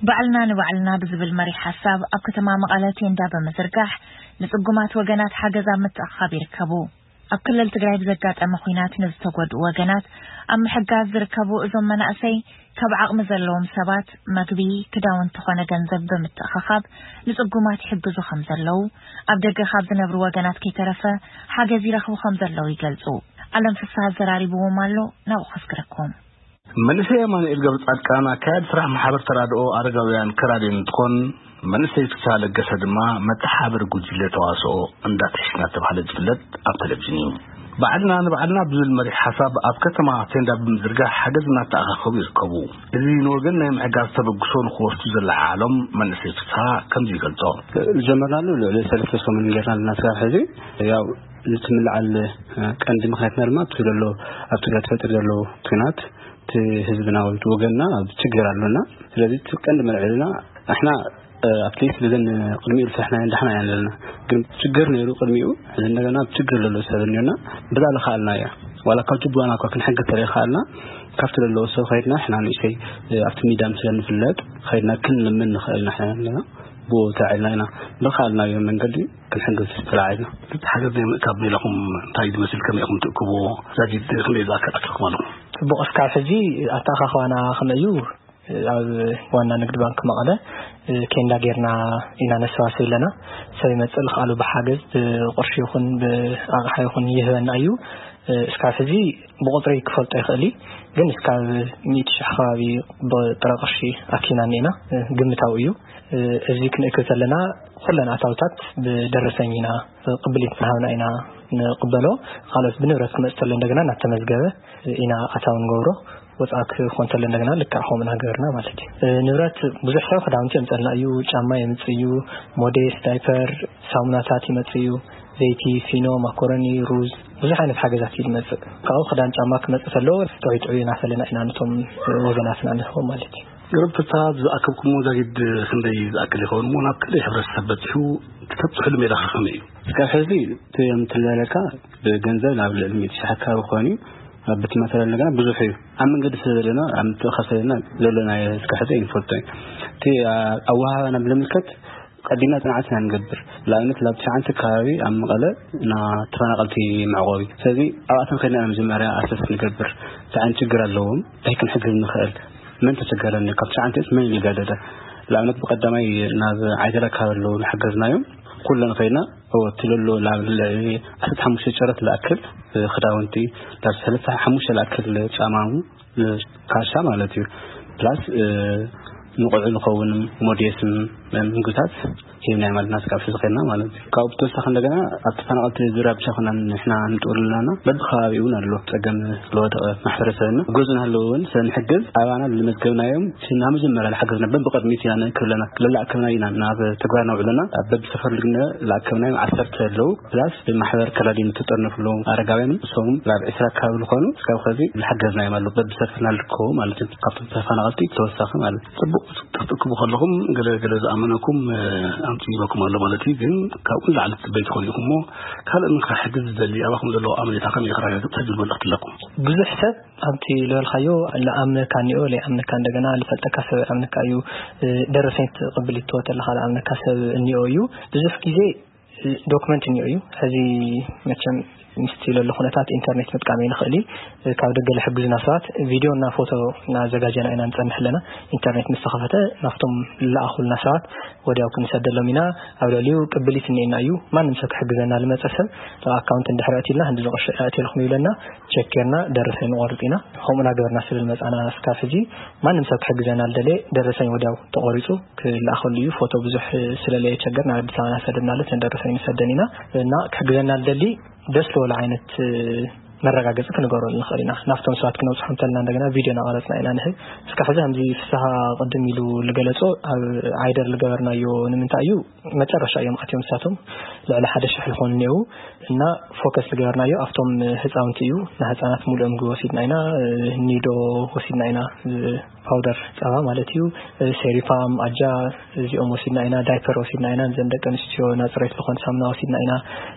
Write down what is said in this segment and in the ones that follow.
ባዕልና ንባዕልና ብዝብል መሪሕ ሓሳብ ኣብ ከተማ መቐለ ቴንዳ ብምዝርጋሕ ንጽጉማት ወገናት ሓገዝ ኣብ ምትእኻብ ይርከቡ። ኣብ ክልል ትግራይ ብዘጋጠመ ኲናት ንዝተጎድኡ ወገናት ኣብ ምሕጋዝ ዝርከቡ እዞም መናእሰይ ካብ ዓቕሚ ዘለዎም ሰባት መግቢ፣ ክዳውንቲ ኾነ ገንዘብ ብምትእኻኻብ ንጽጉማት ይሕግዙ ከም ዘለዉ ኣብ ደገ ካብ ዝነብሩ ወገናት ከይተረፈ ሓገዝ ይረኽቡ ከም ዘለዉ ይገልጹ። ኣለም ፍስሃ ኣዘራሪብዎም ኣሎ፣ ናብኡ ከስግረኩም። መንእሰይ ኣማኑኤል ገብረ ጻድቃን ኣካያዲ ስራሕ ማሕበር ተራድኦ ኣረጋውያን ከራድዮ እንትኾን መንእሰይ ፍስሃ ለገሰ ድማ መተሓባበሪ ጉጅለ ተዋስኦ እንዳትሕሽ እናተባህለ ዝፍለጥ ኣብ ቴሌቪዥን እዩ። ባዕልና ንባዕልና ብዝብል መሪሕ ሓሳብ ኣብ ከተማ ቴንዳ ብምዝርጋሕ ሓገዝ እናተኣኻኸቡ ይርከቡ። እዚ ንወገን ናይ ምሕጋዝ ተበግሶ ንክወስዱ ዘለዓዓሎም መንእሰይ ፍስሃ ከምዚ ይገልጾ። ዝጀመርናሉ ልዕሊ ሰለስተ ሰሙን ጌርና ኣለና። ስራሕ ሕዚ ያው ዝትምልዓል ቀንዲ ምክንያትና ድማ እቲ ዘሎ ኣብ ትግራይ ተፈጢሩ ዘሎ ኲናት እቲ ህዝብና ወይ ወገንና ኣብ ችግር ኣሎና። ስለዚ እቲ ቀንዲ መልዕልና ንሕና ኣብቲ ብዘን ቅድሚኡ ዝሰርሕናዮ እንዳሕና ኢና ዘለና። ግን ችግር ነይሩ ቅድሚኡ፣ ሕዚ እንደገና ኣብ ችግር ዘሎ ሰብ እኒኦና። ብዛ ልኸኣልና እያ ዋላ ካብ ጅቡዋና እኳ ክንሕግዝ ተለይኸኣልና ካብቲ ዘለዎ ሰብ ኸይድና ሕና ንእሽተይ ኣብቲ ሚዳ ምስ ንፍለጥ ኸይድና ክንልምን ንኽእል ኢና። ሕና ኣለና ብኡ ተዕልና ኢና ብልኸኣልናዮ መንገዲ ክንሕግዝ ተላዓልና። እቲ ሓገዝ ናይ ምእካብ ሜላኹም እንታይ ዝመስል፣ ከመይ ኢኹም ትእክብዎ? ዛጊድ ክንደይ ዝኣክል ኣኪብኩም ኣለኹም? ጽቡቕ፣ እስካብ ሕጂ ኣተኣኻኽባና ከመይ እዩ? ኣብ ዋና ንግድ ባንክ መቐለ ኬንዳ ጌርና ኢና ነሰባስብ ኣለና። ሰብ ይመጽእ ልኽኣሉ ብሓገዝ ብቕርሺ ይኹን ብኣቕሓ ይኹን ይህበና እዩ። እስካብ ሕዚ ብቑጽሪ ክፈልጦ ይኽእል እዩ፣ ግን እስካብ ሚእቲ ሽሕ ከባቢ ብጥረ ቅርሺ ኣኪብና እኒኤና። ግምታዊ እዩ። እዚ ክንእክብ ከለና ኩለን ኣታውታት ብደረሰኝ ኢና ቅብሊት እናሃብና ኢና ንቕበሎ። ካልኦት ብንብረት ክመጽእ ከሎ እንደገና እናተመዝገበ ኢና ኣታዊ ንገብሮ። ወፃእ ክኾን ከሎ እንደገና ልክዕ ከምኡ እናገበርና ማለት እዩ። ንብረት ብዙሕ ሰብ ክዳውንቲ የምፀልና እዩ፣ ጫማ የምፅእ እዩ፣ ሞዴስ፣ ዳይፐር፣ ሳሙናታት ይመፅእ እዩ፣ ዘይቲ፣ ፊኖ፣ ማኮረኒ፣ ሩዝ፣ ብዙሕ ዓይነት ሓገዛት እዩ ዝመፅእ። ካብኡ ክዳን ጫማ ክመፅእ ከሎ ጥዑይ ጥዑይ እናፈለና ኢና ነቶም ወገናትና ንህቦም ማለት እዩ። ንብረትታ ዝኣከብኩሞ ዛጊድ ክንደይ ዝኣክል ይኸውን እሞ ናብ ክንደይ ሕብረተሰብ በፂሑ? ተብፅሕሉ ሜላ ከመይ እዩ? እስካብ ሕዚ እቲ የምትለለካ ብገንዘብ ናብ ልዕሊ ሚእቲ ሺሕ ኣካባቢ ክኾን እዩ። ኣብ ቤት ማተርያል እንደገና ብዙሕ እዩ። ኣብ መንገዲ ስለ ዘለና ኣብ ምትእኻብ ስለ ዘለና ዘሎ ናይ እስካብ ሕዚ ኣይንፈልጦ እዩ። እቲ ኣወሃህባና ብዝምልከት ቀዲምና ፅንዓት ኢና ንገብር። ንኣብነት ናብ ትሽዓንተ ከባቢ ኣብ መቐለ ና ተፈናቐልቲ መዕቆቢ፣ ስለዚ ኣብኣተን ከድና ኢና መጀመርያ ኣሰስ ንገብር። እንታይ ዓይነት ችግር ኣለዎም፣ እንታይ ክንሕግዝ ንኽእል፣ መን ተቸገረኒ፣ ካብ ትሽዓንተ መን ይጋደደ። ንኣብነት ብቀዳማይ ናብ ዓይደላ ካብ ኣለዉ ንሓገዝናዮም ኩለን ከይድና እወ እቲ ዘሎ ናብ ልዕሊ ዓሰርተ ሓሙሽተ ጨረት ዝኣክል ክዳውንቲ፣ ናብ ሰለስተ ሓሙሽተ ዝኣክል ጫማ፣ ካሻ ማለት እዩ። ፕላስ ንቆልዑ ዝኸውን ሞዴስን ምግብታት ሂብና ማለት ናት ካብ ሕዚ ከይድና ማለት እዩ። ካብኡ ብተወሳኺ እንደገና ኣብ ተፈናቐልቲ ዙርያ ብቻ ኮና ንሕና ንጥውል ኣለና። በብከባቢ እውን ኣሎ ጸገም ለወደቐ ማሕበረሰብና። ጎዙ ናህለዉ እውን ስለ ንሕግዝ ኣባና ልመዝገብናዮም ስና መጀመርያ ልሓገዝና በብቕድሚት ኢና ንእክብ ኣለና። ለላእከብና ኢና ናብ ተግባር ነውዕለና። ኣብ በብሰፈር ልግነ ላእከብናዮም ዓሰርተ ኣለዉ። ፕላስ ብማሕበር ከላዲን ዝተጠርነፍሉ ኣረጋውያን እሶም ናብ ዕስራ ኣካባቢ ዝኾኑ እስካብ ኸዚ ልሓገዝናዮም ኣሎ። በብሰፈርና ልርከቡ ማለት እዩ። ካብቶም ተፈናቐልቲ ተወሳኺ ማለት እዩ። ጽቡቕ ክትእክቡ ከለኹም ገለ ገለ ዝኣመነኩም ኣምጽኡ ይበኩም ኣሎ ማለት እዩ። ግን ካብኡ ንላዕሊ ትጽበይ ትኾኑ ኢኹም እሞ ካልእ ንክሕግዝ ዝደሊ ኣባኹም ዘለዎ ኣመኔታ ከመይ ከረጋግጽ ተጅል መልእኽቲ ኣለኩም? ብዙሕ ሰብ ኣብቲ ዝበልካዮ ልኣምነካ እኒኦ፣ ለይኣምነካ እንደገና ልፈልጠካ ሰብ ኣምነካ እዩ። ደረሰኝ ትቕብል ይትወ ተለኻ ልኣምነካ ሰብ እኒኦ እዩ። ብዙሕ ግዜ ዶክመንት እኒኦ እዩ። ሕዚ መቸም ምስቲ ለሎ ኩነታት ኢንተርኔት ምጥቃም ይንኽእል እዩ። ካብ ደገ ልሕግዙና ሰባት ቪድዮ እና ፎቶ እናዘጋጀና ኢና ንጸንሕ ኣለና። ኢንተርኔት ምስ ተኸፈተ ናብቶም ልለኣኹልና ሰባት ወዲያው ክንሰደሎም ኢና። ኣብ ልዕሊኡ ቅብሊት እኒኤና እዩ። ማንም ሰብ ክሕግዘና ልመጸ ሰብ ኣካውንት እንድሕር ኣእትልና ክንዲ ዝቕርሺ ኣእትየልኩም ይብለና። ቸክ ጌርና ደረሰኝ ንቖርጽ ኢና። ከምኡ እናገበርና ስለ ዝመጻና እስካብ ሕዚ ማንም ሰብ ክሕግዘና ልደለየ ደረሰኝ ወዲያው ተቖሪጹ ክልኣኸሉ እዩ። ፎቶ ብዙሕ ስለለየቸገር ናብ ኣዲስ ኣበባ እናሰደድናለት ነደረሰኝ ንሰደን ኢና። እና ክሕግዘና ልደሊ ደስ ዝበሎ ዓይነት መረጋገፂ ክንገብረሉ ንኽእል ኢና። ናብቶም ሰባት ክነብፅሖም ተልና እንደገና ቪድዮ እናቐረፅና ኢና ንህብ። እስካ ሕዚ ከምዚ ፍስሃ ቅድም ኢሉ ልገለፆ ኣብ ዓይደር ልገበርናዮ ንምንታይ እዩ? መጨረሻ እዮም ኣትዮም ንሳቶም ልዕሊ ሓደ ሽሕ ልኾኑ እኒአው። እና ፎከስ ልገበርናዮ ኣብቶም ህፃውንቲ እዩ። ንህፃናት ሙሉኦም ምግቢ ወሲድና ኢና። ኒዶ ወሲድና ኢና፣ ፓውደር ፀባ ማለት እዩ። ሴሪፋም፣ ኣጃ፣ እዚኦም ወሲድና ኢና። ዳይፐር ወሲድና ኢና። ንዘን ደቂ ኣንስትዮ ናፅሬት ዝኾን ሳሙና ወሲድና ኢና።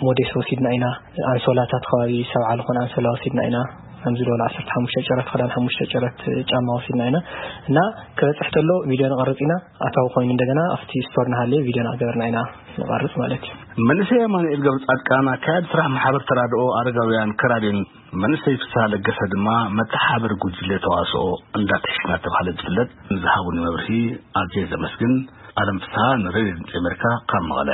ሞዴስ ወሲድና ኢና። ኣንሶላታት ከባቢ ሰብዓ ዝኾን ኣንሶላ ወሲድና ኢና። ከምዚ ዝበለ ዓሰርተ ሓሙሽተ ጨረት ክዳን፣ ሓሙሽተ ጨረት ጫማ ወሲድና ኢና። እና ክበፅሕ ተሎ ቪድዮ ንቐርፅ ኢና። ኣታዊ ኮይኑ እንደገና ኣብቲ ስቶር ንሃለየ ቪድዮ እናገበርና ኢና ንቐርፅ ማለት እዩ። መንእሰይ ኣማኑኤል ገብረ ጻድቃን፣ ኣካያዲ ስራሕ ማሕበር ተራድኦ ኣረጋውያን ከራዴን፣ መንእሰይ ፍስሃ ለገሰ ድማ መተሓባበሪ ጉጅለ ተዋስኦ እንዳትሕሽ እናተባህለ ዝፍለጥ፣ ንዝሃቡኒ መብርሂ ኣዝየ ዘመስግን። ኣለም ፍስሃ፣ ንሬድዮ ድምፂ ኣሜሪካ፣ ካብ መቐለ።